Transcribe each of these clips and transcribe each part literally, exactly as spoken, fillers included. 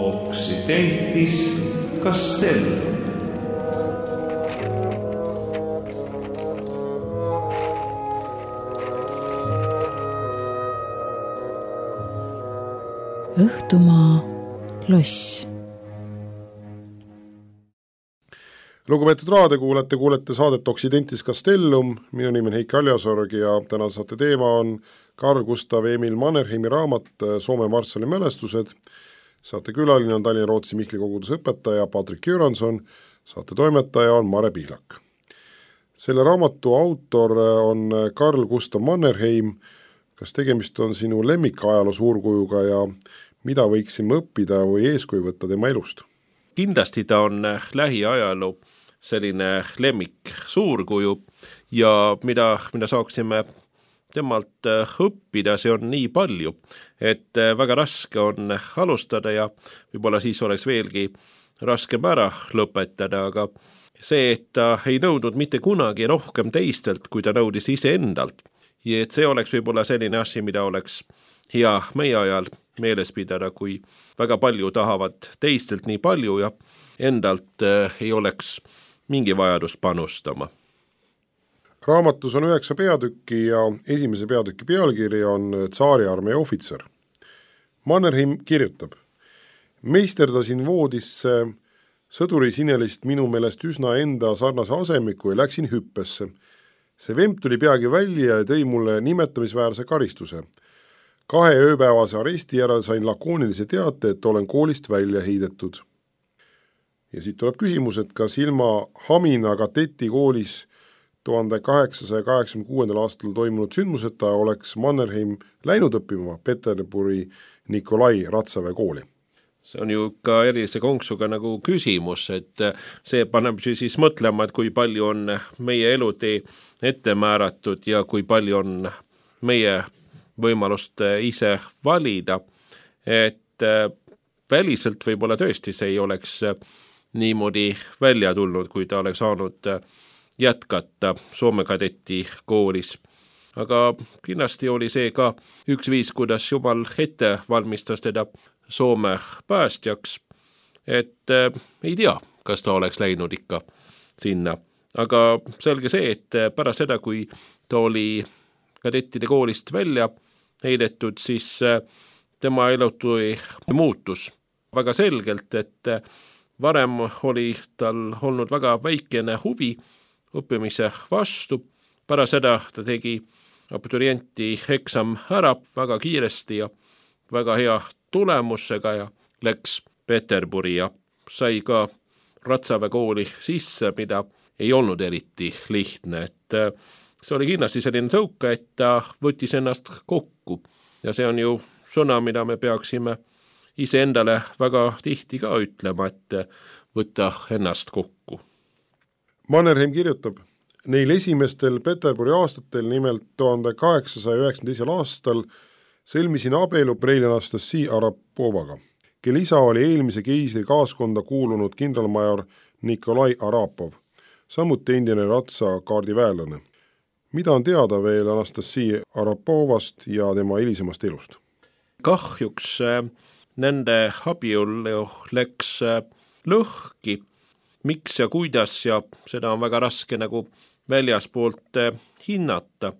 Occidentis Castellum. Õhtumaa loss. Lugupeetud raadiokuulajate, kuulete saadet Occidentis Castellum. Minu nimi on Heiki Aljasorg ja täna saate teema on Carl Gustav Emil Mannerheimi raamat Soome marssali mälestused. Saate külaline on Tallinna Rootsi Mihkli koguduse õpetaja Patrik Jüranson, saate toimetaja on Mare Pihlak. Selle raamatu autor on Carl Gustav Mannerheim. Kas tegemist on sinu lemmikajaloo suurkujuga ja mida võiksime õppida või eeskuju võtta tema elust? Kindlasti ta on lähiajaloo selline lemmik suurkuju ja mida, mida saaksime temalt õppida, see on nii palju, et väga raske on alustada ja võib-olla siis oleks veelgi raskem ära lõpetada, aga see, et ta ei nõudnud mitte kunagi rohkem teistelt, kui ta nõudis ise endalt. Ja et see oleks võib-olla selline asi, mida oleks hea meie ajal meeles pidada, kui väga palju tahavad teistelt nii palju ja endalt äh, ei oleks mingi vajadus panustama. Raamatus on üheksa peatükki ja esimese peatüki pealkiri on Tsaariarmee ohvitser. Mannerheim kirjutab: Meisterdasin voodisse sõduri sinelist minu meelest üsna enda sarnase asemiku ja läksin hüppesse. See vemp tuli peagi välja ja tõi mulle nimetamisväärse karistuse. Kahe ööpäevase aresti järel sain lakoonilise teate, et olen koolist välja heidetud. Ja siit tuleb küsimus, et kas ilma Hamina kadeti koolis tuhande kaheksasaja kaheksakümne kuuendal aastal toimunud sündmuseta oleks Mannerheim läinud õppima Peterburi Nikolai Ratsaväe kooli. See on ju ka erilise konksuga nagu küsimus, et see paneb siis mõtlema, et kui palju on meie elutee ette määratud ja kui palju on meie võimalust ise valida, et väliselt võib-olla tõesti see ei oleks niimoodi välja tulnud, kui ta oleks saanud jätkata Soome kadeti koolis. Aga kindlasti oli see ka üks viis, kuidas Jumal ette valmistas teda Soome päästjaks, et äh, ei tea, kas ta oleks läinud ikka sinna. Aga selge see, et pärast seda, kui ta oli kadettide koolist välja heidetud, siis äh, tema elutui muutus väga selgelt, et äh, varem oli tal olnud väga väikene huvi õppimise vastu. Pärast seda ta tegi abiturienti eksam ära väga kiiresti ja väga hea tulemusega ja läks Peterburi ja sai ka Ratsaväe kooli sisse, mida ei olnud eriti lihtne. Et see oli kindlasti selline tõuka, et ta võttis ennast kokku. Ja see on ju sõna, mida me peaksime ise endale väga tihti ka ütlema, et võtta ennast kokku. Mannerheim kirjutab: Neil esimestel Peterburi aastatel, nimelt tuhande kaheksasaja üheksakümne teisel aastal, sõlmisin abielu Preili Anastassi Arapovaga, kel isa oli eelmise keisri kaaskonda kuulunud kindralmajor Nikolai Arapov, samuti endine Ratsa kaardiväelane. Mida on teada veel Anastassi Arapovast ja tema hilisemast elust? Kahjuks nende abielu läks lõhki. Miks ja kuidas ja seda on väga raske nagu väljaspoolt hinnata.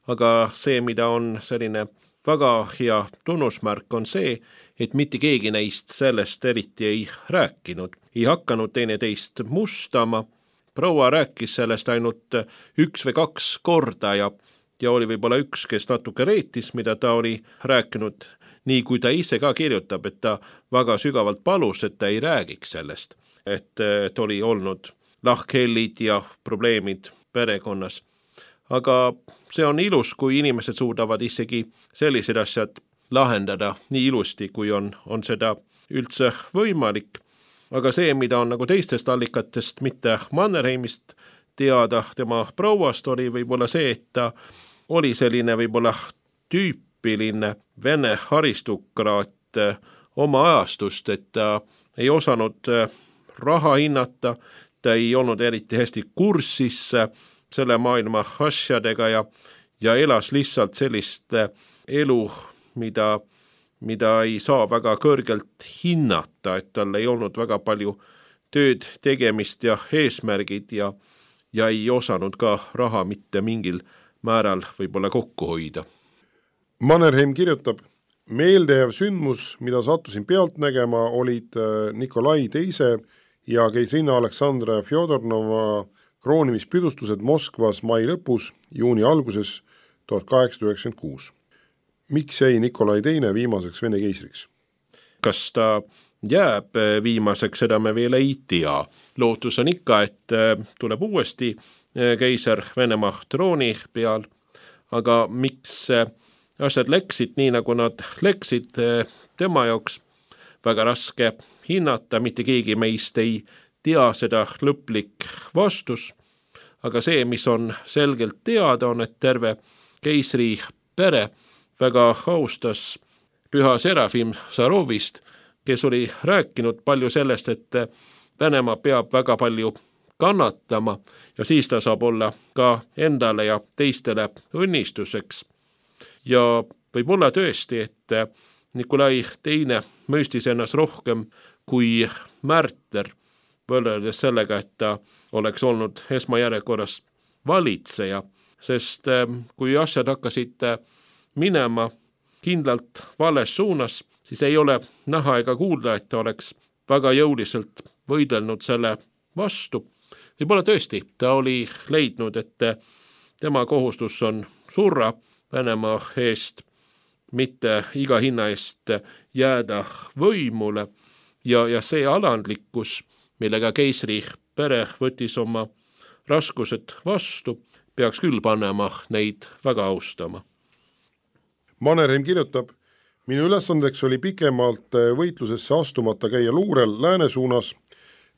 Aga see, mida on selline väga hea tunnusmärk, on see, et mitte keegi neist sellest eriti ei rääkinud. Ei hakanud teine teist mustama. Proua rääkis sellest ainult üks või kaks korda ja, ja oli võib-olla üks, kes natuke reetis, mida ta oli rääkinud, nii kui ta ise ka kirjutab, et ta väga sügavalt palus, et ta ei räägiks sellest. Et, et oli olnud lahkhellid ja probleemid perekonnas. Aga see on ilus, kui inimesed suudavad isegi sellised asjad lahendada nii ilusti, kui on, on seda üldse võimalik. Aga see, mida on nagu teistest allikatest, mitte Mannerheimist teada tema prouast, oli võib-olla see, et ta oli selline võib-olla tüüpiline vene aristokraat oma ajastust, et ta ei osanud raha hinnata, ta ei olnud eriti hästi kursis selle maailma asjadega ja, ja elas lihtsalt sellist elu, mida mida ei saa väga kõrgelt hinnata, et tal ei olnud väga palju tööd tegemist ja eesmärgid ja, ja ei osanud ka raha mitte mingil määral võib-olla kokku hoida. Mannerheim kirjutab, meeldejääv sündmus, mida sattusin pealt nägema, olid Nikolai teise ja keisrinna Aleksandra Fjodornova kroonimispidustused Moskvas mai lõpus, juuni alguses tuhat kaheksasada üheksakümmend kuus. Miks jäi Nikolai teine viimaseks Vene keisriks? Kas ta jääb viimaseks, seda me veel ei tea. Lootus on ikka, et tuleb uuesti keiser Venemaa trooni peal, aga miks asjad läksid nii, nagu nad läksid tema jaoks, väga raske hinnata, mitte keegi meist ei tea seda lõplik vastus, aga see, mis on selgelt teada, on, et terve keisri pere väga austas püha Serafim Sarovist, kes oli rääkinud palju sellest, et Venemaa peab väga palju kannatama ja siis ta saab olla ka endale ja teistele õnnistuseks. Ja võib olla tõesti, et Nikolai teine mõistis ennast rohkem kui märter, võrreldes sellega, et ta oleks olnud esmajärjekorras valitseja, sest kui asjad hakkasid minema kindlalt vales suunas, siis ei ole näha ega kuulda, et ta oleks väga jõuliselt võidelnud selle vastu. Võib-olla tõesti, ta oli leidnud, et tema kohustus on surra Venemaa eest, mitte iga hinna eest jääda võimule ja, ja see alandlikkus, millega keisri pere võttis oma raskused vastu, peaks küll panema neid väga austama. Mannerheim kirjutab, minu ülesandeks oli pikemalt võitlusesse astumata käia luurel lääne suunas,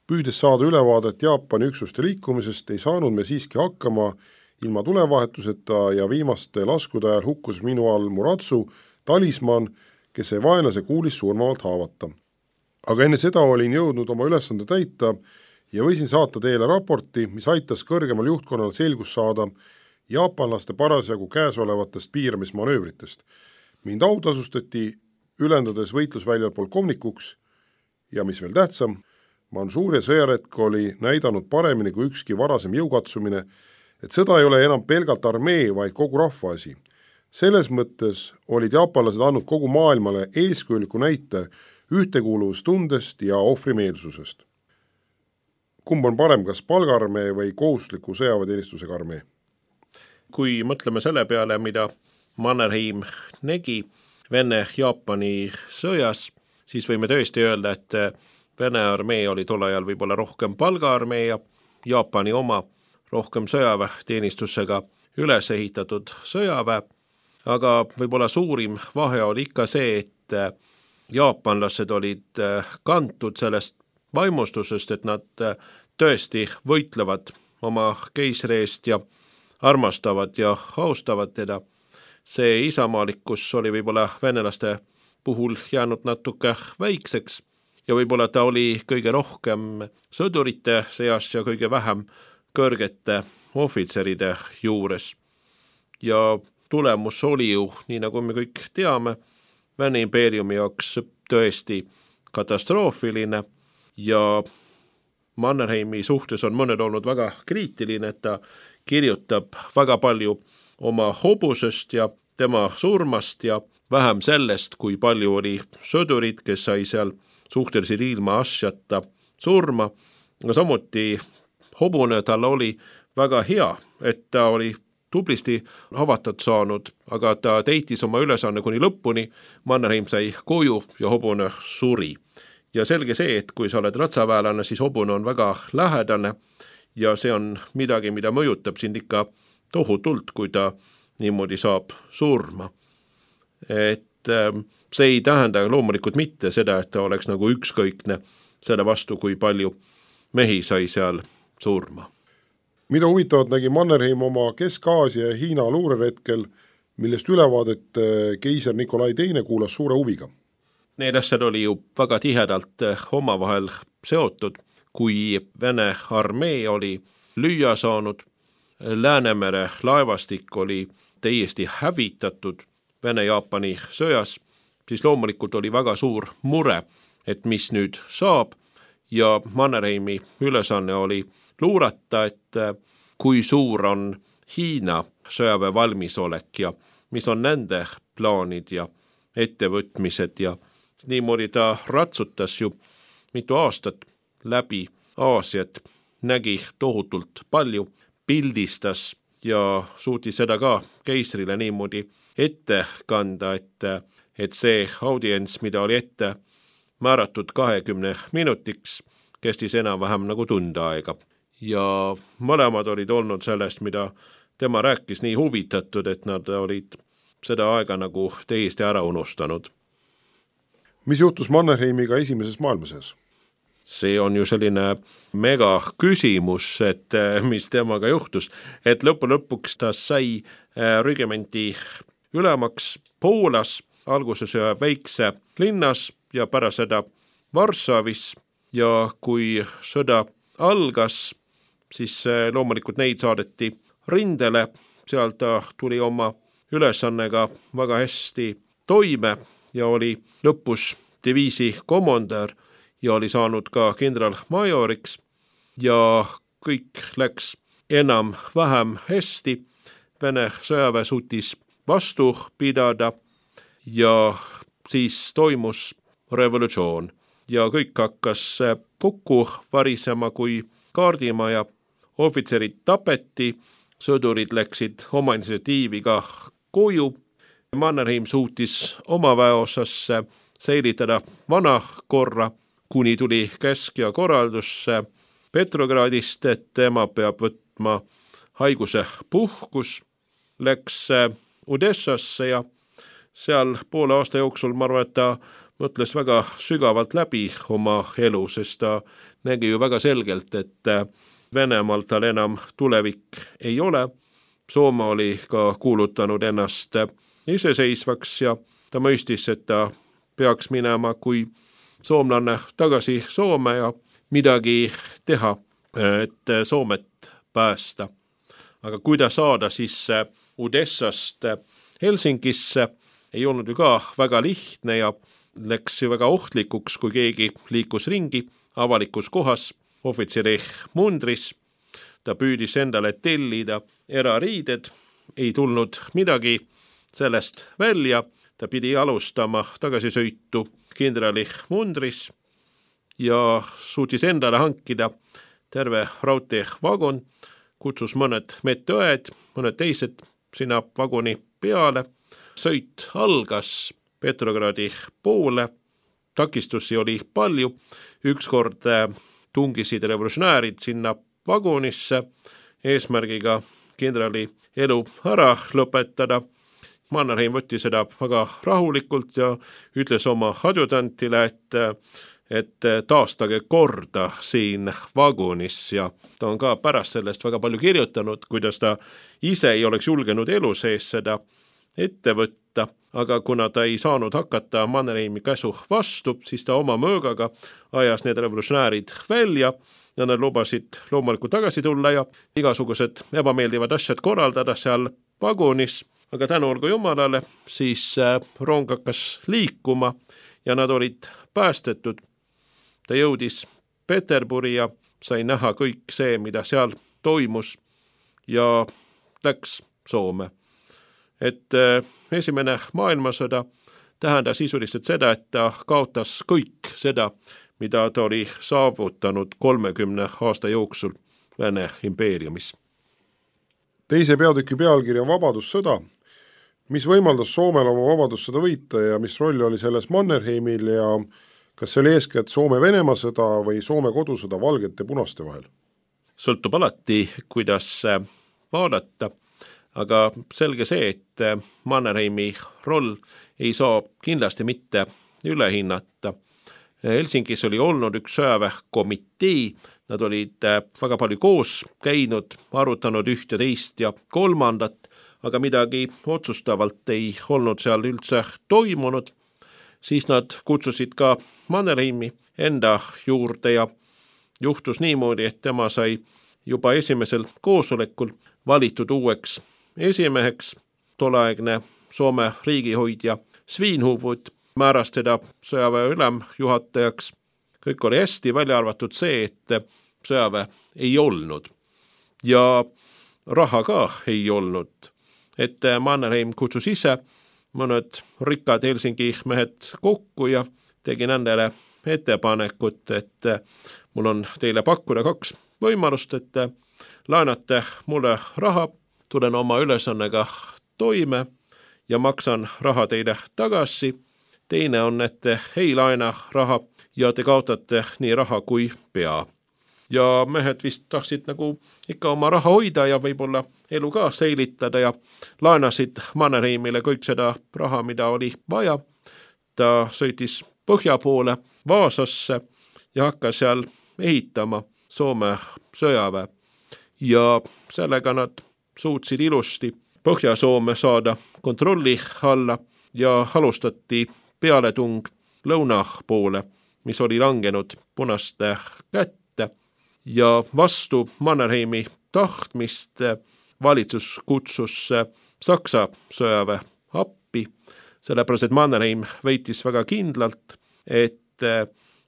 püüdes saada ülevaadet Jaapani üksuste liikumisest, ei saanud me siiski hakkama ilma tulevahetuseta ja viimaste laskude ajal hukkus minu all Muratsu talisman, kes ei vaenlase kuulis surmavalt haavata. Aga enne seda olin jõudnud oma ülesande täita ja võisin saata teile raporti, mis aitas kõrgemal juhtkonnal selgus saada jaapanlaste parasjagu käesolevatest piiramismanöövritest. Mind autasustati ülendades võitlusväljal polkovnikuks ja mis veel tähtsam, Mansuuria sõjaretk oli näidanud paremini kui ükski varasem jõukatsumine, et sõda ei ole enam pelgalt armee, vaid kogu rahva asi. Selles mõttes olid jaapanlased andnud kogu maailmale eeskujuliku näite ühtekuuluvustundest ja ohvrimeelsusest. Kumb on parem, kas palgaarmee või kohustusliku sõjaväeteenistusega armee? Kui mõtleme selle peale, mida Mannerheim nägi Vene-Jaapani sõjas, siis võime tõesti öelda, et Vene armee oli tol ajal võib-olla rohkem palgaarmee ja Jaapani oma rohkem sõjaväeteenistusega üles ehitatud sõjaväe, aga võib-olla suurim vahe oli ikka see, et jaapanlased olid kantud sellest vaimustusest, et nad tõesti võitlevad oma keisri eest ja armastavad ja austavad teda. See isamaalikkus oli võib-olla venelaste puhul jäänud natuke väikseks ja võib-olla ta oli kõige rohkem sõdurite seas ja kõige vähem kõrgete ohvitseride juures. Ja tulemus oli ju, nii nagu me kõik teame, Vene impeeriumi jaoks tõesti katastroofiline ja Mannerheimi suhtes on mõned olnud väga kriitiline, et ta kirjutab väga palju oma hobusest ja tema surmast ja vähem sellest, kui palju oli sõdurid, kes sai seal suhteliselt ilma asjata surma. Ja samuti hobune tal oli väga hea, et ta oli tublisti avatud saanud, aga ta teitis oma ülesanne kuni lõpuni, Mannerheim sai koju ja hobune suri. Ja selge see, et kui sa oled ratsaväelane, siis hobune on väga lähedane ja see on midagi, mida mõjutab sind ikka tohutult, kui ta niimoodi saab surma. Et see ei tähenda loomulikult mitte seda, et ta oleks nagu ükskõikne selle vastu, kui palju mehi sai seal surma. Mida huvitavat nägi Mannerheim oma Kesk-Aasia ja Hiina luureretkel, millest ülevaadet keiser Nikolai teine kuulas suure huviga? Need asjad oli ju väga tihedalt omavahel seotud, kui Vene armee oli lüüa saanud, Läänemere laevastik oli täiesti hävitatud Vene-Jaapani sõjas, siis loomulikult oli väga suur mure, et mis nüüd saab ja Mannerheimi ülesanne oli luurata, et kui suur on Hiina sõjaväe valmisolek ja mis on nende plaanid ja ettevõtmised ja niimoodi ta ratsutas ju mitu aastat läbi Aasiat, nägi tohutult palju, pildistas ja suutis seda ka keisrile niimoodi ette kanda, et, et see audients, mida oli ette määratud kahekümne minutiks, kestis enam-vähem nagu tund aega. Ja mõlemad olid olnud sellest, mida tema rääkis, nii huvitatud, et nad olid seda aega nagu täiesti ära unustanud. Mis juhtus Mannerheimiga esimeses maailmasõjas? See on ju selline mega küsimus, et mis temaga juhtus, et lõpu lõpuks ta sai rügementi ülemaks Poolas, alguses ühe väikse linnas ja pärast seda Varssavis ja kui sõda algas, siis loomulikult neid saadeti rindele, seal ta tuli oma ülesannega väga hästi toime ja oli lõpus diviisi komandör ja oli saanud ka kindralmajoriks ja kõik läks enam vähem hästi. Vene sõjaväe suutis vastu pidada ja siis toimus revolutsioon ja kõik hakkas kokku varisema kui kaardimaja. Ohvitserid tapeti, sõdurid läksid oma initsiatiiviga koju. Mannerheim suutis oma väeosasse säilitada vana korra, kuni tuli käsk ja korraldus Petrogradist, et tema peab võtma haiguse puhkus, läks Odessasse ja seal poole aasta jooksul ma arvan, et ta mõtles väga sügavalt läbi oma elu, sest ta nägi ju väga selgelt, et Venemaal tal enam tulevik ei ole. Soome oli ka kuulutanud ennast iseseisvaks ja ta mõistis, et ta peaks minema kui soomlanne tagasi Soome ja midagi teha, et Soomet päästa. Aga kuidas saada siis Odessast Helsingisse, ei olnud ju ka väga lihtne ja läks ju väga ohtlikuks, kui keegi liikus ringi avalikus kohas ohvitseri mundris. Ta püüdis endale tellida erariided, ei tulnud midagi sellest välja. Ta pidi alustama tagasisõitu kindrali mundris ja suutis endale hankida terve raudteevagon, kutsus mõned medõed, mõned teised sinna vagoni peale. Sõit algas Petrogradi poole, takistusi oli palju, ükskord tungisid revolutsionäärid sinna vagonisse eesmärgiga kindrali elu ära lõpetada. Mannerheim võttis seda väga rahulikult ja ütles oma adjutantile, et, et taastage korda siin vagonis ja ta on ka pärast sellest väga palju kirjutanud, kuidas ta ise ei oleks julgenud elu sees seda ette võtta, aga kuna ta ei saanud hakata Mannerheimi käsu vastu, siis ta oma mõõgaga ajas need revolutsionäärid välja ja nad lubasid loomulikult tagasi tulla ja igasugused ebameeldivad asjad korraldada seal vagonis, aga tänu olgu Jumalale, siis rong hakkas liikuma ja nad olid päästetud. Ta jõudis Peterburi ja sai näha kõik see, mida seal toimus ja läks Soome. Et esimene maailmasõda tähendas sisuliselt seda, et ta kaotas kõik seda, mida ta oli saavutanud kolmekümne aasta jooksul Vene impeeriumis. Teise peatüki pealkiri on Vabadussõda. Mis võimaldas Soomel oma vabadussõda võita ja mis roll oli selles Mannerheimil ja kas see oli eeskätt Soome-Venemaa sõda või Soome kodusõda valgete punaste vahel? Sõltub alati, kuidas vaadata. Aga selge see, et Mannerheimi roll ei saa kindlasti mitte ülehinnata. Helsingis oli olnud üks sõjaväekomitee, nad olid väga palju koos käinud, arutanud üht ja teist ja kolmandat, aga midagi otsustavalt ei olnud seal üldse toimunud. Siis nad kutsusid ka Mannerheimi enda juurde ja juhtus niimoodi, et tema sai juba esimesel koosolekul valitud uueks esimeheks. Tolleaegne Soome riigihoidja Svinhufvud määras teda sõjaväe ülemjuhatajaks. Kõik oli hästi, välja arvatud see, et sõjaväe ei olnud ja raha ka ei olnud. Et Mannerheim kutsus ise mõned rikkad Helsingi mehed kokku ja tegi nendele ettepanekut, et mul on teile pakkuda kaks võimalust, et laenate mulle raha, tulen oma ülesannega toime ja maksan raha teile tagasi. Teine on, et ei laena raha ja te kaotate nii raha kui pea. Ja mehed vist tahtsid nagu ikka oma raha hoida ja võib-olla elu ka säilitada ja laenasid Mannerheimile kõik seda raha, mida oli vaja. Ta sõitis põhja poole Vaasasse ja hakkas seal ehitama Soome sõjaväe. Ja sellega nad suutsid ilusti Põhja-Soome saada kontrolli alla ja alustati pealetung lõuna poole, mis oli langenud punaste kätte. Ja vastu Mannerheimi tahtmist valitsus kutsus Saksa sõjaväe appi, sellepärast et Mannerheim väitis väga kindlalt, et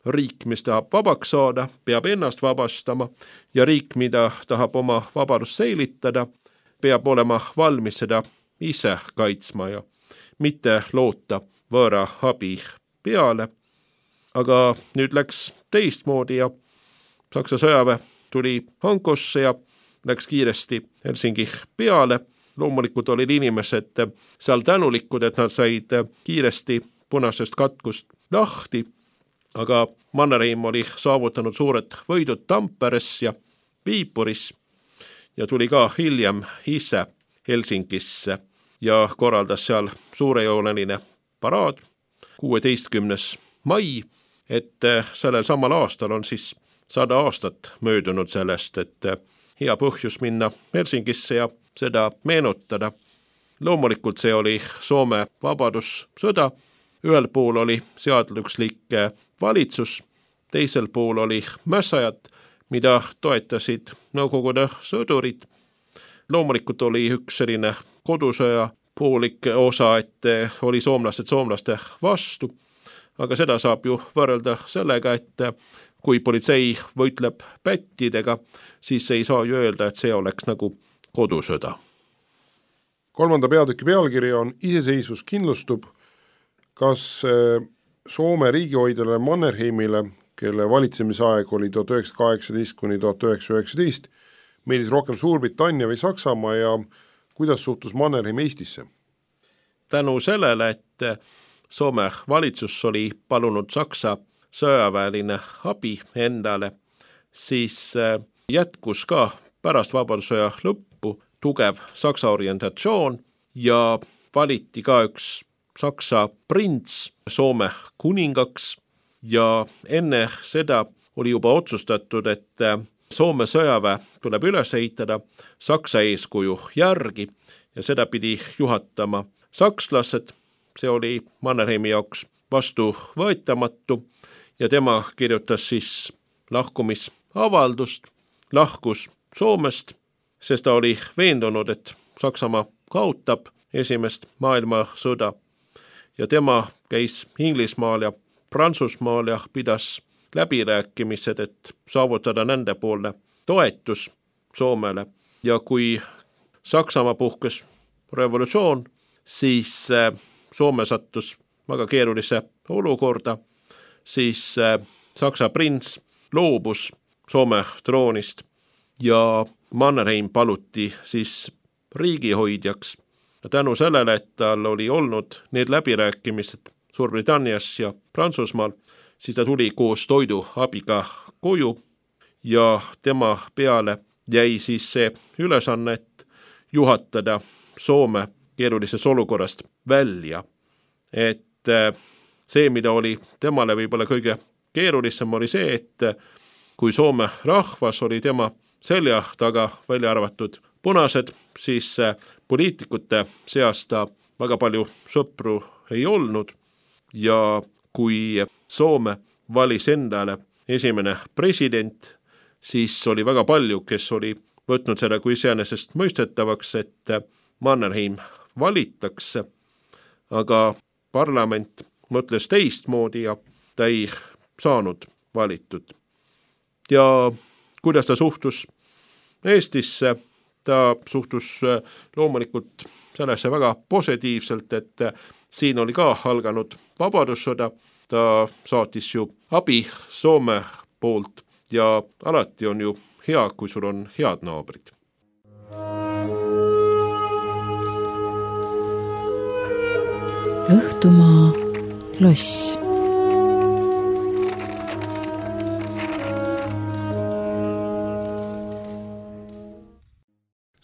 riik, mis tahab vabaks saada, peab ennast vabastama ja riik, mida tahab oma vabadust säilitada, peab olema valmis seda ise kaitsma ja mitte loota võõra abi peale. Aga nüüd läks teistmoodi ja Saksa sõjaväe tuli Hankosse ja läks kiiresti Helsingi peale. Loomulikult olid inimesed seal tänulikud, et nad said kiiresti punasest katkust lahti, aga Mannerheim oli saavutanud suured võidud Tamperes ja Viipuris ja tuli ka hiljem ise Helsingisse ja korraldas seal suurejooneline paraad kuueteistkümnes mai, et sellel samal aastal on siis sada aastat möödunud sellest, et hea põhjus minna Helsingisse ja seda meenutada. Loomulikult see oli Soome vabadussõda. Ühel pool oli seaduslik valitsus, teisel pool oli mässajad, mida toetasid Nõukogude sõdurid. Loomulikult oli üks selline kodusõja poolik osa, et oli soomlased soomlaste vastu, aga seda saab ju võrrelda sellega, et kui politsei võitleb pättidega, siis ei saa ju öelda, et see oleks nagu kodusõda. Kolmanda peatüki pealkiri on Iseseisvus kindlustub. Kas Soome riigihoidjale Mannerheimile, kelle valitsemisaeg oli tuhat üheksasada kaheksateist kuni tuhat üheksasada üheksateist, meeldis rohkem Suurbritannia või Saksamaa ja kuidas suhtus Mannerheim Eestisse? Tänu sellele, et Soome valitsus oli palunud Saksa sõjaväeline abi endale, siis jätkus ka pärast vabadussõja lõppu tugev Saksa orientatsioon ja valiti ka üks Saksa prints Soome kuningaks ja enne seda oli juba otsustatud, et Soome sõjaväe tuleb üles ehitada Saksa eeskuju järgi ja seda pidi juhatama sakslased. See oli Mannerheimi jaoks vastuvõetamatu ja tema kirjutas siis lahkumisavaldust, lahkus Soomest, sest ta oli veendunud, et Saksamaa kaotab esimest maailmasõda ja tema käis Inglismaal ja Prantsusmaal ja pidas läbirääkimised, et saavutada nende poolne toetus Soomele. Ja kui Saksamaa puhkes revolutsioon, siis Soome sattus väga keerulise olukorda, siis Saksa prints loobus Soome troonist ja Mannerheim paluti siis riigihoidjaks. Ja tänu sellele, et tal oli olnud need läbirääkimised Suurbritannias ja Prantsusmaal, siis ta tuli koos toiduabiga koju ja tema peale jäi siis see ülesanne juhatada Soome keerulisest olukorrast välja. Et see, mida oli temale võib-olla kõige keerulisem, oli see, et kui Soome rahvas oli tema selja taga välja arvatud punased, siis poliitikute seas ta väga palju sõpru ei olnud ja kui Soome valis endale esimene president, siis oli väga palju, kes oli võtnud seda kui iseenesest mõistetavaks, et Mannerheim valitaks, aga parlament mõtles teistmoodi ja ta ei saanud valitud. Ja kuidas ta suhtus Eestisse, ta suhtus loomulikult sellesse väga positiivselt, et siin oli ka alganud vabadussõda, ta saatis ju abi Soome poolt ja alati on ju hea, kui sul on head naabrid. Õhtumaa loss.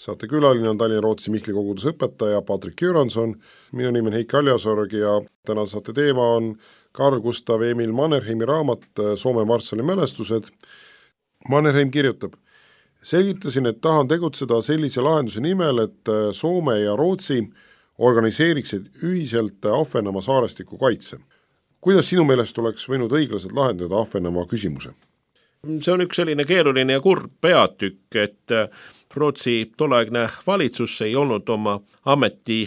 Saate külaline on Tallinna Rootsi Mihkli koguduse õpetaja Patrik Jüranson, minu nimi on Heiki Aljasorg ja täna saate teema on Carl Gustav Emil Mannerheimi raamat Soome marssali mälestused. Mannerheim kirjutab: selgitasin, et tahan tegutseda sellise lahenduse nimel, et Soome ja Rootsi organiseeriksid ühiselt Ahvenamaa saarestiku kaitse. Kuidas sinu meelest oleks võinud õiglaselt lahendada Ahvenamaa küsimuse? See on üks selline keeruline ja kurb peatükk, et Rootsi tolleaegne valitsus ei olnud oma ameti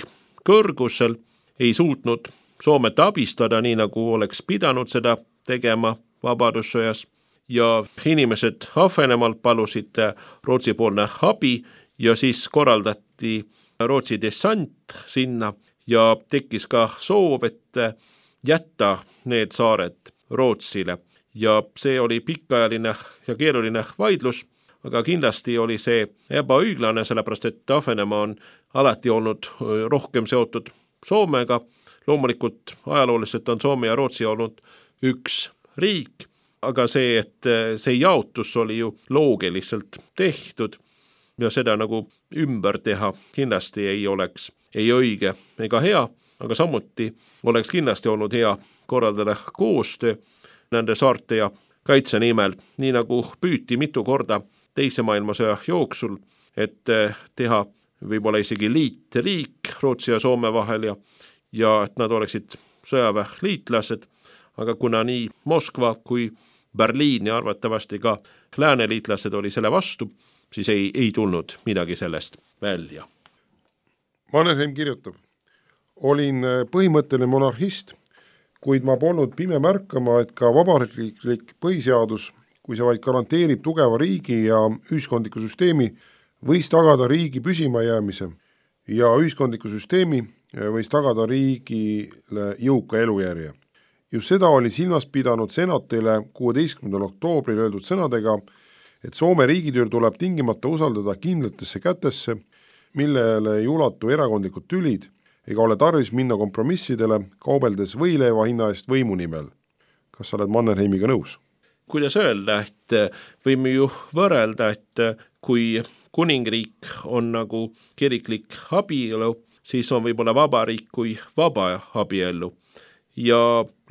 kõrgusel, ei suutnud Soomet abistada nii, nagu oleks pidanud seda tegema vabadussõjas ja inimesed Ahvenamaalt palusid Rootsi poolne abi ja siis korraldati Rootsi dessant sinna ja tekkis ka soov, et jätta need saared Rootsile ja see oli pikaajaline ja keeruline vaidlus, aga kindlasti oli see ebaõiglane, sellepärast et Ahvenamaa on alati olnud rohkem seotud Soomega. Loomulikult ajalooliselt on Soome ja Rootsi olnud üks riik, aga see, et see jaotus oli ju loogiliselt tehtud ja seda nagu ümber teha kindlasti ei oleks ei õige ega hea, aga samuti oleks kindlasti olnud hea korraldada koostöö nende saarte ja kaitse nimel, nii nagu püüti mitu korda teise maailmasõja jooksul, et teha võib-olla isegi liitriik Rootsi ja Soome vahel ja, ja et nad oleksid sõjaväeliitlased, aga kuna nii Moskva kui Berliin ja arvatavasti ka lääneliitlased oli selle vastu, siis ei, ei tulnud midagi sellest välja. Mannerheim kirjutab: olin põhimõtteline monarhist, kuid ma polnud pime märkama, et ka vabariiklik põhiseadus, kui see vaid garanteerib tugeva riigi ja ühiskondliku süsteemi, võis tagada riigi püsima jäämise ja ühiskondliku süsteemi võis tagada riigile jõuka elujärje. Just seda oli silmas pidanud senatile kuueteistkümnendal oktoobril öeldud sõnadega, et Soome riigitüür tuleb tingimata usaldada kindlatesse kätesse, millele ei ulatu erakondlikud tülid ega ole tarvis minna kompromissidele, kaubeldes võileiva hinna eest võimu nimel. Kas sa oled Mannerheimiga nõus? Kuidas öelda, et võime ju võrrelda, et kui kuningriik on nagu kiriklik abielu, siis on võib-olla vabariik kui vaba abielu. Ja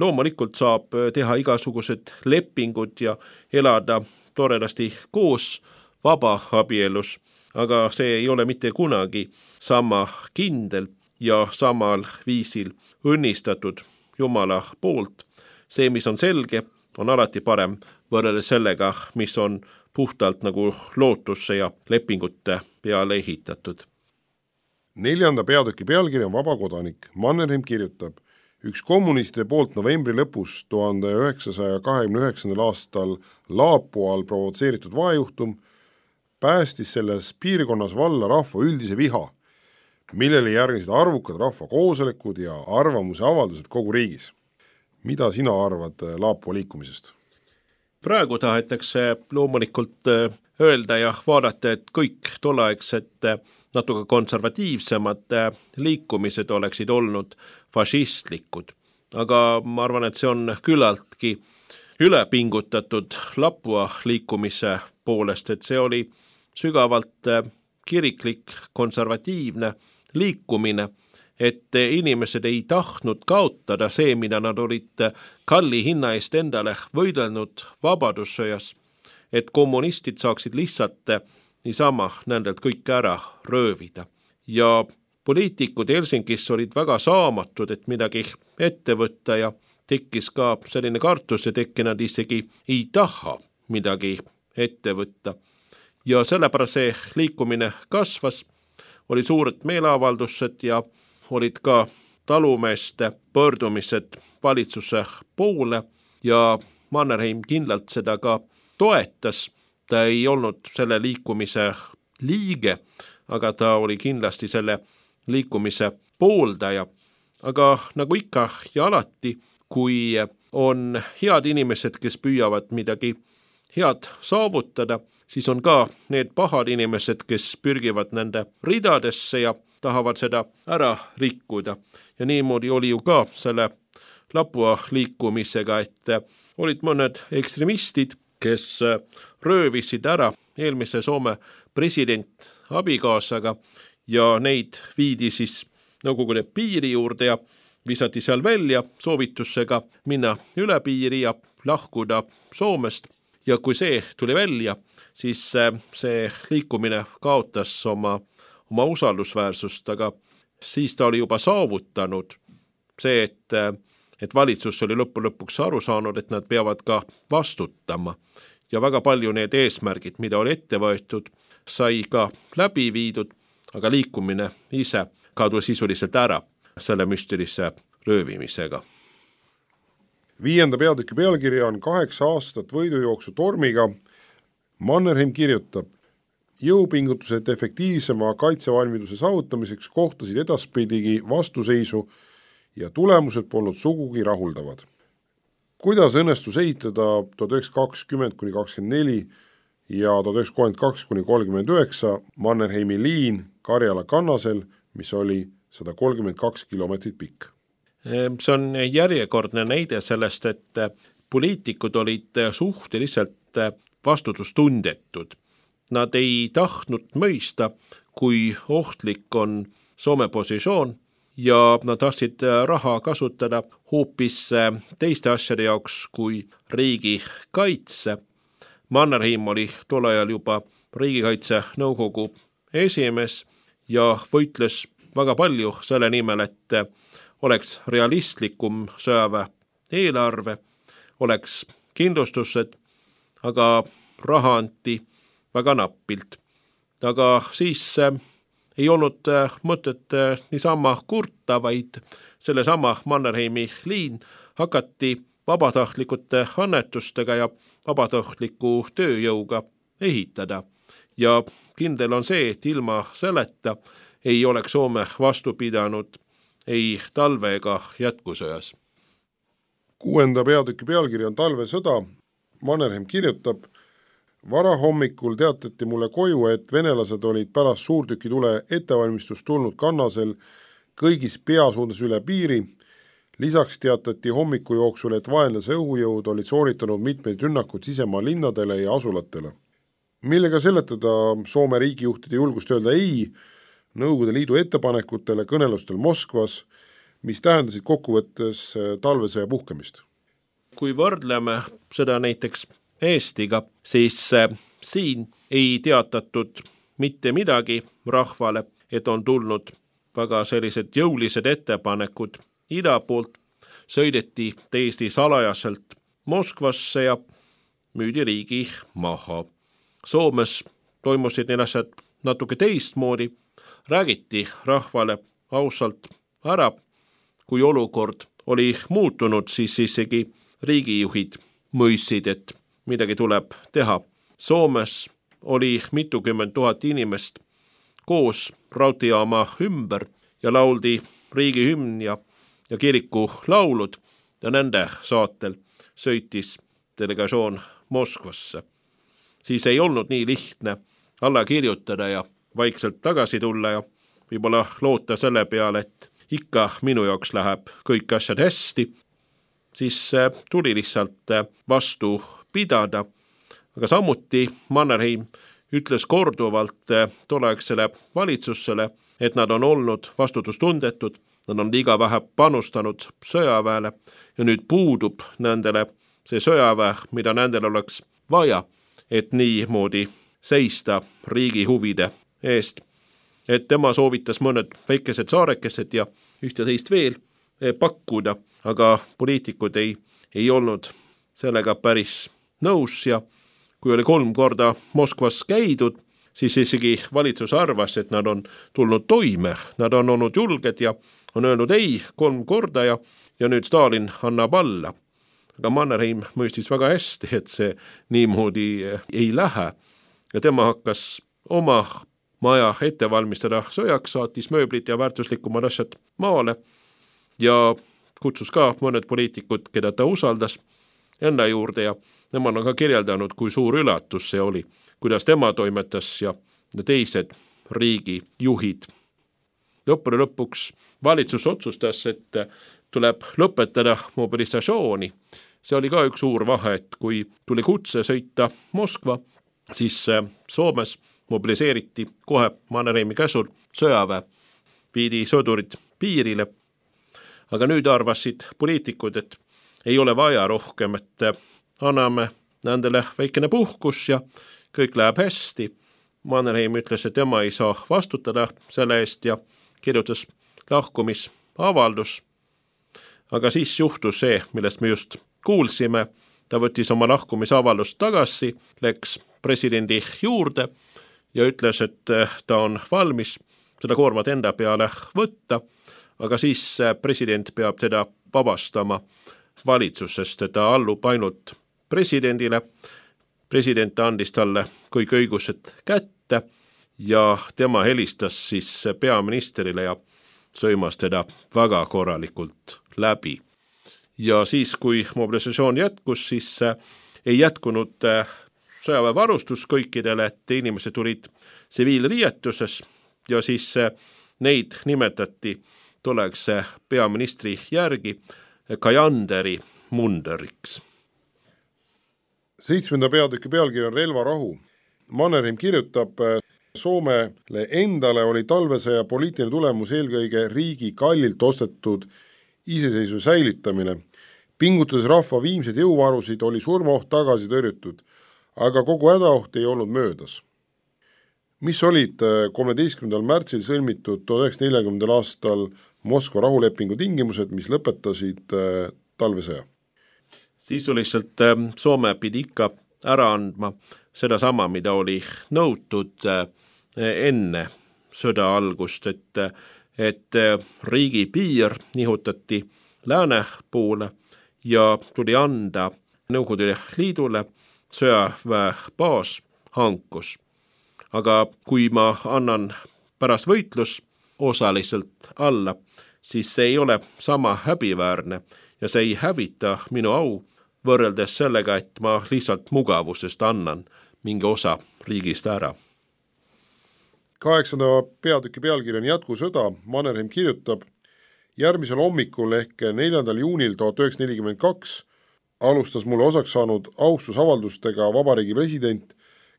loomulikult saab teha igasugused lepingud ja elada toredasti koos vaba abielus, aga see ei ole mitte kunagi sama kindel ja samal viisil õnnistatud Jumala poolt. See, mis on selge, on alati parem võrreldes sellega, mis on puhtalt nagu lootusse ja lepingute peale ehitatud. Neljanda peatüki pealkiri on Vabakodanik. Mannerheim kirjutab: üks kommunistide poolt novembri lõpus tuhande üheksasaja kahekümne üheksandal aastal Laapual provotseeritud vaejuhtum päästis selles piirkonnas valla rahva üldise viha, millele järgnesid arvukad rahvakoosolekud ja arvamuse avaldused kogu riigis. Mida sina arvad Laapua liikumisest? Praegu tahetakse loomulikult öelda ja vaadata, et kõik tolleaegsed natuke konservatiivsemad liikumised oleksid olnud fašistlikud. Aga ma arvan, et see on küllaltki ülepingutatud Laapua liikumise poolest, et see oli sügavalt kiriklik konservatiivne liikumine, et inimesed ei tahtnud kaotada see, mida nad olid kalli hinna eest endale võidelnud vabadussõjas, et kommunistid saaksid lihtsalt niisama nendelt kõik ära röövida. Ja poliitikud Helsingis olid väga saamatud, et midagi ette võtta ja tekkis ka selline kartus, et äkki nad isegi ei taha midagi ette võtta. Ja sellepärast see liikumine kasvas, oli suured meeleavaldused ja olid ka talumeeste pöördumised valitsuse poole ja Mannerheim kindlalt seda ka toetas. Ta ei olnud selle liikumise liige, aga ta oli kindlasti selle liikumise pooldaja. Aga nagu ikka ja alati, kui on head inimesed, kes püüavad midagi head saavutada, siis on ka need pahad inimesed, kes pürgivad nende ridadesse ja tahavad seda ära rikkuda. Ja niimoodi oli ju ka selle Lapua liikumisega, et olid mõned ekstremistid, kes röövisid ära eelmise Soome president abikaasaga ja neid viidi siis Nõukogude piiri juurde ja visati seal välja soovitusega minna üle piiri ja lahkuda Soomest. Ja kui see tuli välja, siis see liikumine kaotas oma, oma usaldusväärsust, aga siis ta oli juba saavutanud see, et, et valitsus oli lõppu lõpuks aru saanud, et nad peavad ka vastutama. Ja väga palju need eesmärgid, mida oli ette võetud, sai ka läbi viidud, aga liikumine ise kadus sisuliselt ära selle müstilise röövimisega. Viienda peatüki pealkiri on kaheksa aastat võidujooksu tormiga. Mannerheim kirjutab, jõupingutused efektiivsema kaitsevalmiduse saavutamiseks kohtasid edaspidigi vastuseisu ja tulemused polnud sugugi rahuldavad. Kuidas õnnestus ehitada tuhat üheksasada kakskümmend kuni kakskümmend neli ja tuhat üheksasada kolmkümmend kaks kuni kolmkümmend üheksa Mannerheimi liin Karjala kannasel, mis oli sada kolmkümmend kaks kilomeetrit pikk? See on järjekordne näide sellest, et poliitikud olid suhteliselt vastutustundetud. Nad ei tahtnud mõista, kui ohtlik on Soome positsioon ja nad tahtsid raha kasutada hoopis teiste asjade jaoks kui riigi kaitse. Mannerheim oli tol ajal juba riigikaitse nõukogu esimees ja võitles väga palju selle nimel, et oleks realistlikum sõjaväe eelarve, oleks kindlustused, aga raha anti väga nappilt. Aga siis ei olnud mõtet niisama kurta, vaid sellesama Mannerheimi liin hakati vabatahtlikute annetustega ja vabatahtliku tööjõuga ehitada. Ja kindel on see, et ilma selleta ei oleks Soome vastu pidanud ei talve ega jätkusõjas. Kuuenda peatüki pealkiri on talvesõda. Mannerheim kirjutab, varahommikul teatati mulle koju, et venelased olid pärast suurtükitule ettevalmistust tulnud kannasel kõigis peasuundas üle piiri. Lisaks teatati hommiku jooksul, et vaenlase õhujõud olid sooritanud mitmeid rünnakud sisemaa linnadele ja asulatele. Millega seletada Soome riigijuhtide julgust öelda ei Nõukogude Liidu ettepanekutele kõnelustel Moskvas, mis tähendasid kokkuvõttes talvesõja puhkemist? Kui võrdleme seda näiteks Eestiga, siis siin ei teatatud mitte midagi rahvale, et on tulnud väga sellised jõulised ettepanekud ida poolt, sõideti täiesti salajaselt Moskvasse ja müüdi riigi maha. Soomes toimusid need asjad natuke teistmoodi, räägiti rahvale ausalt ära, kui olukord oli muutunud, siis isegi riigijuhid mõistsid, et midagi tuleb teha. Soomes oli mitukümmend tuhat inimest koos raudteejaama ümber ja lauldi riigihümn ja, ja kiriku laulud ja nende saatel sõitis delegatsioon Moskvasse. Siis ei olnud nii lihtne alla kirjutada ja vaikselt tagasi tulla ja võib-olla loota selle peale, et ikka minu jaoks läheb kõik asjad hästi, siis tuli lihtsalt vastu pidada. Aga samuti Mannerheim ütles korduvalt tolleaegsele valitsusele, et nad on olnud vastutustundetud, nad on liiga vähe panustanud sõjaväele ja nüüd puudub nendele see sõjaväe, mida nendel oleks vaja, et niimoodi seista riigi huvide eest. Et tema soovitas mõned väikesed saarekesed ja ühte teist veel pakkuda, aga poliitikud ei, ei olnud sellega päris nõus ja kui oli kolm korda Moskvas käidud, siis isegi valitsus arvas, et nad on tulnud toime, nad on olnud julged ja on öelnud ei kolm korda ja ja nüüd Stalin annab alla. Aga Mannerheim mõistis väga hästi, et see niimoodi ei lähe ja tema hakkas oma maja ette valmistada sõjaks, saatis mööblit ja väärtuslikumad asjad maale ja kutsus ka mõned poliitikud, keda ta usaldas enda juurde ja nemad on ka kirjeldanud, kui suur üllatus see oli, kuidas tema toimetas ja teised riigi juhid. Lõppude lõpuks valitsus otsustas, et tuleb lõpetada mobilisatsiooni. See oli ka üks suur vahe, et kui tuli kutse sõita Moskva, siis Soomes mobiliseeriti kohe Mannerheimi käsul sõjaväe, viidi sõdurid piirile. Aga nüüd arvasid poliitikud, et ei ole vaja rohkem, et anname nendele väikene puhkus ja kõik läheb hästi. Mannerheim ütles, et tema ei saa vastutada selle eest ja kirjutas lahkumisavaldus. Aga siis juhtus see, millest me just kuulsime. Ta võttis oma lahkumisavaldust tagasi, läks presidendi juurde ja ütles, et ta on valmis seda koormat enda peale võtta, aga siis president peab teda vabastama valitsusest, ta allub ainult presidendile. President andis talle kõik õigused kätte ja tema helistas siis peaministrile ja sõimas teda väga korralikult läbi. Ja siis, kui mobilisatsioon jätkus, siis ei jätkunud sõjaväevarustus kõikidele, et inimesed tulid tsiviilriietuses ja siis neid nimetati toleks peaministri järgi Kajanderi munderiks. Seitsmenda peatüki pealkiri on relvarahu. Mannerheim kirjutab, Soomele endale oli talvesõja poliitiline tulemus eelkõige riigi kallilt ostetud iseseisvuse säilitamine. Pingutades rahva viimseid jõuvarusid oli surmaoht tagasi tõrjutud, aga kogu hädaoht ei olnud möödas. Mis olid kolmeteistkümnendal märtsil sõlmitud tuhat üheksasada nelikümmend aastal Moskva rahulepingu tingimused, mis lõpetasid talvesõja? Sisuliselt Soome pidi ikka ära andma seda sama, mida oli nõutud enne sõda algust, et, et riigi piir nihutati lääne poole ja tuli anda Nõukogude Liidule sõjaväebaas hankus. Aga kui ma annan pärast võitlus osaliselt alla, siis see ei ole sama häbiväärne ja see ei hävita minu au võrreldes sellega, et ma lihtsalt mugavusest annan mingi osa riigist ära. Kaheksanda peatüki pealkiri on jätkusõda. Mannerheim kirjutab, järgmisel hommikul ehk neljandal juunil tuhat üheksasada nelikümmend kaks alustas mulle osaks saanud austusavaldustega vabariigi president,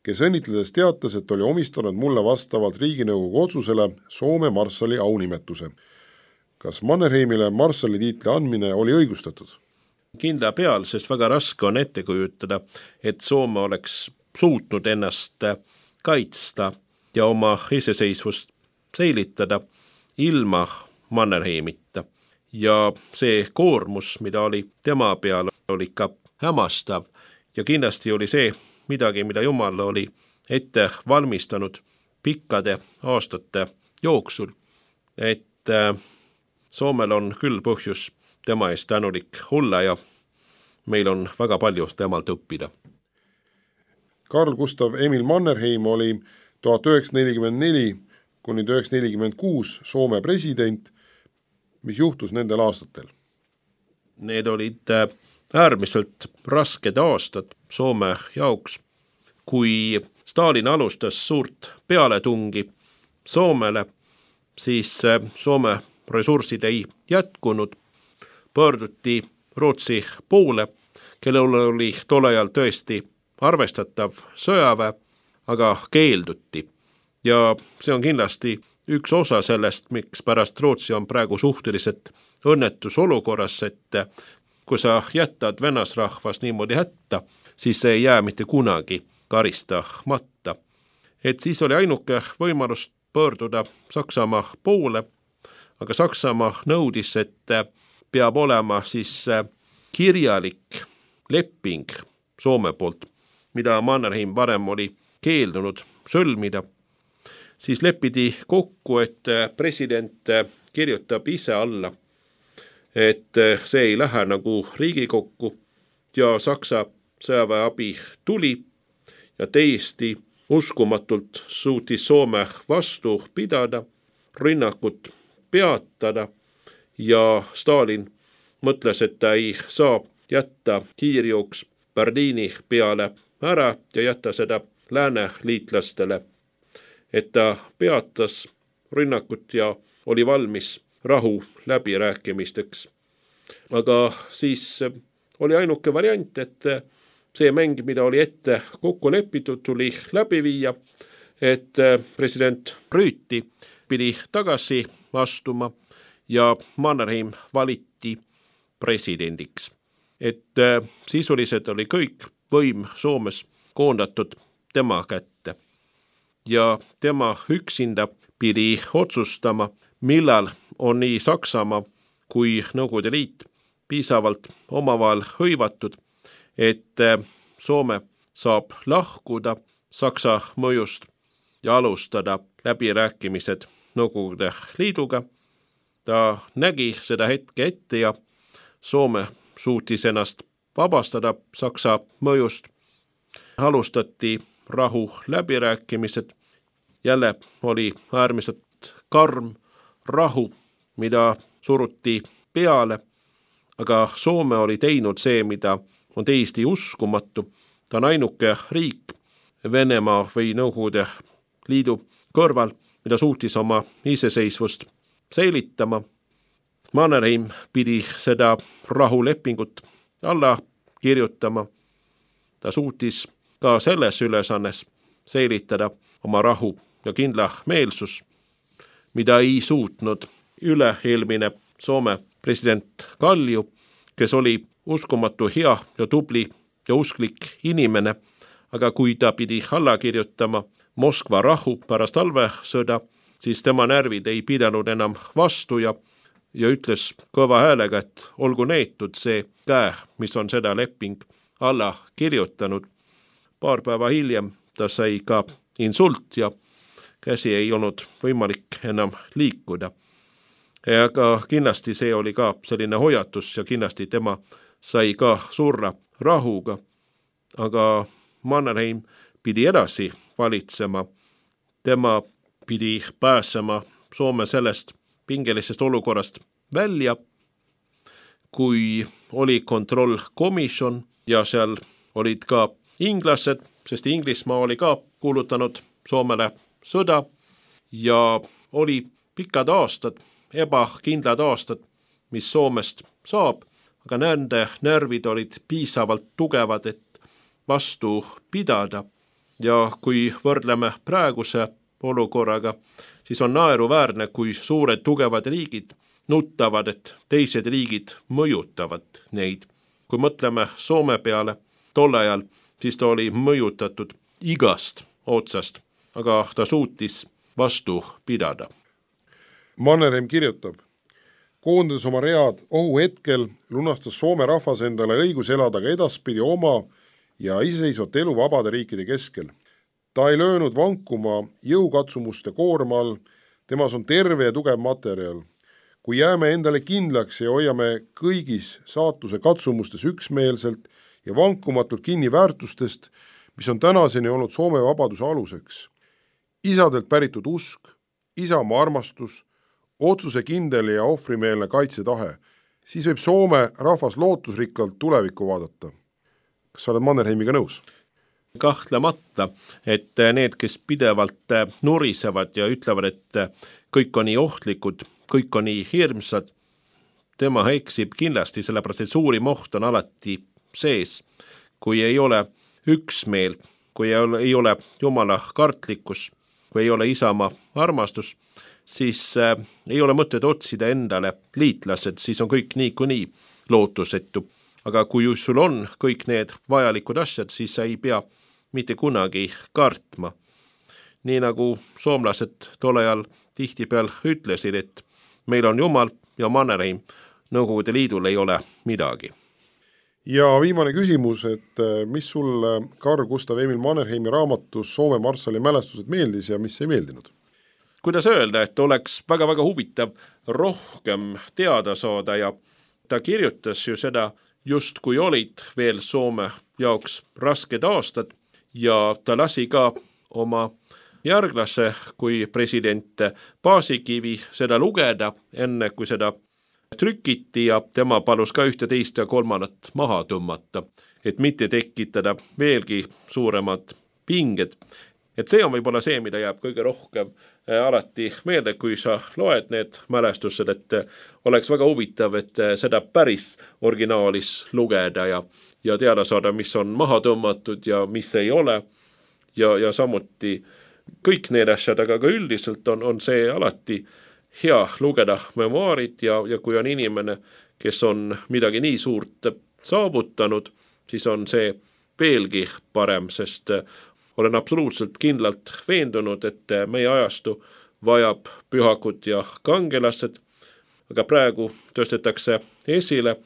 kes õnnitledes teatas, et oli omistanud mulle vastavalt Riiginõukogu otsusele Soome marssali aunimetuse. Kas Mannerheimile marssali tiitli andmine oli õigustatud? Kindla peal, sest väga raske on ette kujutada, et Soome oleks suutnud ennast kaitsta ja oma iseseisvust säilitada ilma Mannerheimita. Ja see koormus, mida oli tema peal, oli ka hämastav ja kindlasti oli see midagi, mida Jumal oli ette valmistanud pikkade aastate jooksul, et Soomel on küll põhjus tema eest tänulik olla ja meil on väga palju temalt õppida. Karl Gustav Emil Mannerheim oli tuhat üheksasada nelikümmend neli kuni tuhat üheksasada nelikümmend kuus Soome president. Mis juhtus nendel aastatel? Need olid äärmiselt rasked aastad Soome jaoks. Kui Stalin alustas suurt pealetungi Soomele, siis Soome ressursid ei jätkunud. Pöörduti Rootsi poole, kellel oli tol ajal tõesti arvestatav sõjaväe, aga keelduti. Ja see on kindlasti üks osa sellest, miks pärast Rootsi on praegu suhteliselt õnnetus olukorras, et kui sa jätad venasrahvas niimoodi hätta, siis see ei jää mitte kunagi karistamata. Et siis oli ainuke võimalus pöörduda Saksamaa poole, aga Saksamaa nõudis, et peab olema siis kirjalik leping Soome poolt, mida Mannerheim varem oli keeldunud sõlmida. Siis lepiti kokku, et president kirjutab ise alla et see ei lähe nagu Riigikokku ja Saksa sõjaväeabi tuli ja täiesti uskumatult suutis Soome vastu pidada, rünnakut peatada ja Stalin mõtles, et ta ei saa jätta kiirjooks Berliini peale ära ja jätta seda lääneliitlastele, et ta peatas rünnakut ja oli valmis rahu läbirääkimisteks. Aga siis oli ainuke variant, et see mäng, mida oli ette kokku lepitud, tuli läbi viia, et president Rüüti pidi tagasi astuma ja Mannerheim valiti presidendiks. Et sisuliselt oli kõik võim Soomes koondatud tema kätte. Ja tema üksinda pidi otsustama, millal on nii Saksamaa kui Nõukogude Liit piisavalt omavahel hõivatud, et Soome saab lahkuda Saksa mõjust ja alustada läbirääkimised Nõukogude Liiduga. Ta nägi seda hetke ette ja Soome suutis ennast vabastada Saksa mõjust. Alustati rahu läbirääkimised. Jälle oli äärmiselt karm rahu, mida suruti peale, aga Soome oli teinud see, mida on täiesti uskumatu. Ta on ainuke riik Venemaa või Nõukogude Liidu kõrval, mida suutis oma iseseisvust säilitama. Mannerheim pidi seda rahulepingut alla kirjutama. Ta suutis ka selles ülesannes säilitada oma rahu ja kindla meelsus, mida ei suutnud üle-eelmine Soome president Kalju, kes oli uskumatu hea ja tubli ja usklik inimene, aga kui ta pidi alla kirjutama Moskva rahu pärast talvesõda, siis tema närvid ei pidanud enam vastu ja, ja ütles kõva häälega, et olgu neetud see käe, mis on seda leping alla kirjutanud. Paar päeva hiljem ta sai ka insult ja käsi ei olnud võimalik enam liikuda. Aga kindlasti see oli ka selline hoiatus ja kindlasti tema sai ka surra rahuga. Aga Mannerheim pidi edasi valitsema. Tema pidi pääsema Soome sellest pingelisest olukorrast välja, kui oli kontrollkomisjon ja seal olid ka inglased, sest Inglismaa oli ka kuulutanud Soomele sõda ja oli pikad aastad, ebakindlad aastad, mis Soomest saab, aga nende närvid olid piisavalt tugevad, et vastu pidada. Ja kui võrdleme praeguse olukorraga, siis on naeruväärne, kui suured tugevad riigid nutavad, et teised riigid mõjutavad neid. Kui mõtleme Soome peale tol ajal, siis ta oli mõjutatud igast otsast, aga ta suutis vastu pidada. Mannerheim kirjutab, koondades oma read ohuhetkel, lunastas Soome rahvas endale õigus elada ka edaspidi oma ja iseseisvat elu vabade riikide keskel. Ta ei löönud vankuma jõukatsumuste koorma all, temas on terve ja tugev materjal. Kui jääme endale kindlaks ja hoiame kõigis saatuse katsumustes üksmeelselt ja vankumatult kinni väärtustest, mis on tänaseni olnud Soome vabaduse aluseks. Isadelt päritud usk, isamaa armastus, otsuse kindel ja ohvrimeelne kaitsetahe, siis võib Soome rahvas lootusrikkalt tulevikku vaadata. Kas sa oled Mannerheimiga nõus? Kahtlemata, et need, kes pidevalt nurisevad ja ütlevad, et kõik on nii ohtlikud, kõik on nii hirmsad, tema eksib kindlasti, sellepärast et suurim oht on alati sees, kui ei ole üksmeel, kui ei ole, ei ole Jumala kartlikkus, kui ei ole isamaa armastus, siis äh, ei ole mõtet otsida endale liitlased, siis on kõik nii kui nii lootusetu. Aga kui sul on kõik need vajalikud asjad, siis sa ei pea mitte kunagi kartma. Nii nagu soomlased tol ajal tihtipeal ütlesid, et meil on Jumal ja Mannerheim, Nõukogude Liidul ei ole midagi. Ja viimane küsimus, et mis sulle Carl Gustav Emil Mannerheimi raamatus Soome marssali mälestused meeldis ja mis ei meeldinud? Kuidas öelda, et oleks väga-väga huvitav rohkem teada saada ja ta kirjutas ju seda just kui olid veel Soome jaoks rasked aastad ja ta lasi ka oma järglase kui president Paasikivi seda lugeda, enne kui seda trükiti ja tema palus ka ühte teist ja kolmandat maha tõmmata, et mitte tekitada veelgi suuremad pinged. Et see on võib-olla see, mida jääb kõige rohkem alati meelde, kui sa loed need mälestused, et oleks väga huvitav, et seda päris originaalis lugeda ja, ja teada saada, mis on maha tõmmatud ja mis ei ole. Ja, ja samuti kõik need asjad, aga ka üldiselt on, on see alati hea lugeda memuaarid ja, ja kui on inimene, kes on midagi nii suurt saavutanud, siis on see veelgi parem, sest olen absoluutselt kindlalt veendunud, et meie ajastu vajab pühakud ja kangelased, aga praegu tõstetakse esile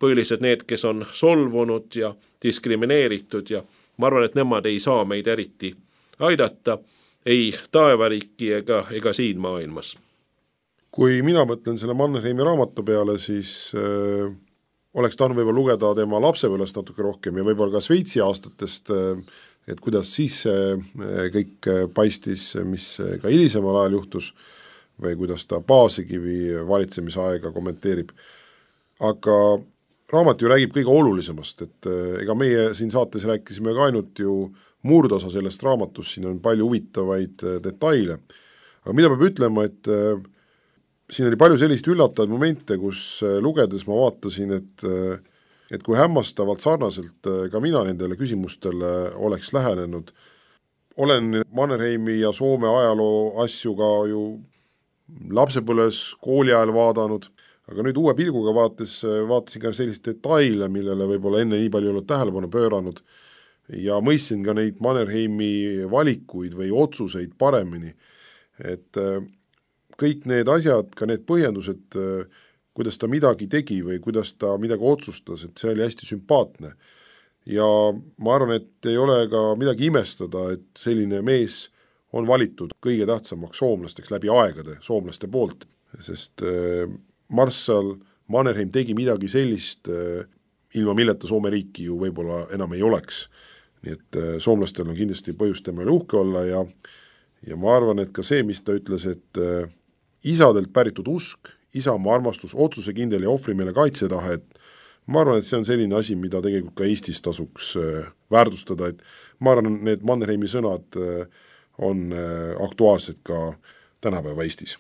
põhilised need, kes on solvunud ja diskrimineeritud ja ma arvan, et nemad ei saa meid eriti aidata, ei taevariiki ega, ega siin maailmas. Kui mina mõtlen selle Mannerheimi raamatu peale, siis äh, oleks tahtnud võib-olla lugeda tema lapsepõlvest natuke rohkem ja võib-olla ka Šveitsi aastatest, äh, et kuidas siis kõik paistis, mis ka hilisemal ajal juhtus või kuidas ta Paasikivi valitsemisaega kommenteerib. Aga raamat ju räägib kõige olulisemast, et ega meie siin saates rääkisime ka ainult ju murdosa sellest raamatust, siin on palju huvitavaid detaile. Aga mida peab ütlema, et siin oli palju sellist üllatavaid momente, kus lugedes ma vaatasin, et et kui hämmastavalt sarnaselt ka mina nendele küsimustele oleks lähenenud. Olen Mannerheimi ja Soome ajaloo asju ka ju lapsepõlves kooli ajal vaadanud, aga nüüd uue pilguga vaates, vaatasin ka sellist detaile, millele võib-olla enne nii palju ei olnud tähelepanu pööranud ja mõistsin ka neid Mannerheimi valikuid või otsuseid paremini. Et kõik need asjad, ka need põhjendused, kuidas ta midagi tegi või kuidas ta midagi otsustas, et see oli hästi sümpaatne. Ja ma arvan, et ei ole ka midagi imestada, et selline mees on valitud kõige tähtsamaks soomlasteks läbi aegade soomlaste poolt, sest marssal Mannerheim tegi midagi sellist, ilma milleta Soome riiki ju võib-olla enam ei oleks. Nii et soomlastel on kindlasti põhjust tema üle uhke olla ja, ja ma arvan, et ka see, mis ta ütles, et isadelt päritud usk, isamaa armastus, otsusekindel ja ohvrimeele kaitsetahe, et ma arvan, et see on selline asi, mida tegelikult ka Eestis tasuks väärtustada, et ma arvan, need Mannerheimi sõnad on aktuaalsed ka tänapäeva Eestis.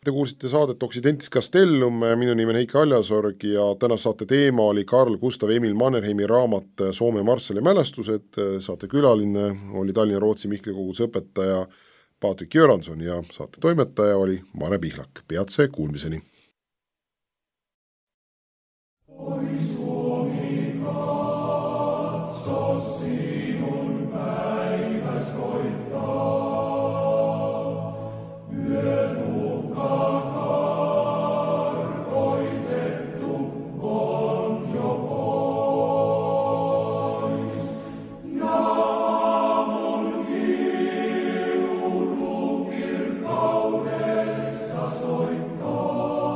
Te kuulsite saadet Occidentis Castellum, minu nimi on Heiki Aljasorg ja täna saate teema oli Carl Gustav Emil Mannerheimi raamat Soome marssali mälestused, saate külaline oli Tallinna Rootsi Mihkli koguduse õpetaja Patrik Jöranson ja saate toimetaja oli Mare Pihlak. Peatse kuulmiseni. Soittaa.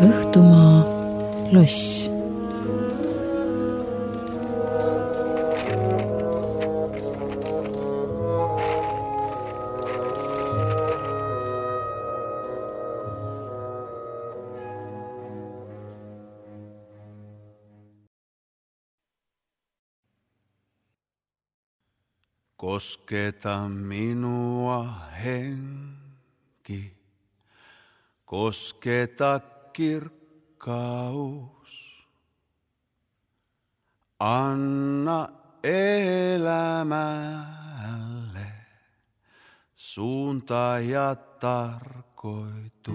Õhtumaa loss. Kosketa minua henki, kosketa kirkkaus. Anna elämälle suunta ja tarkoitus.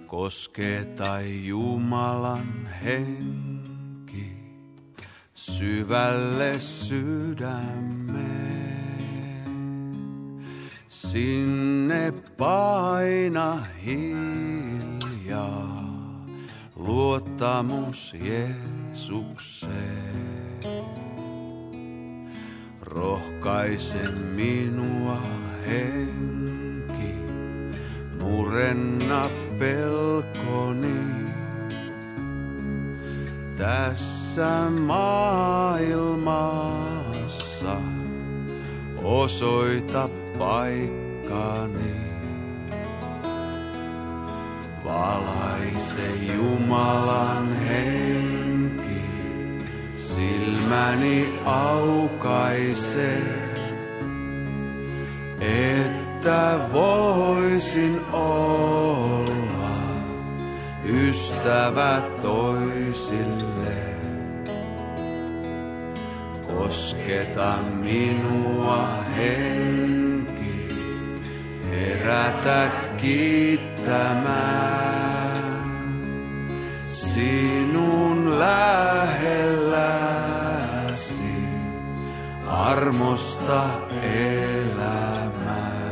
Kosketa Jumalan henki syvälle sydämeen. Sinne paina hiljaa luottamus Jeesukseen. Rohkaise minua henki, murenna pelkoni. Tässä maailmassa osoita paikkani. Valaise Jumalan henki, silmäni aukaise, että voisin olla ystävä toisille. Kosketa minua henki, herätä kiittämään. Sinun lähelläsi armosta elämään.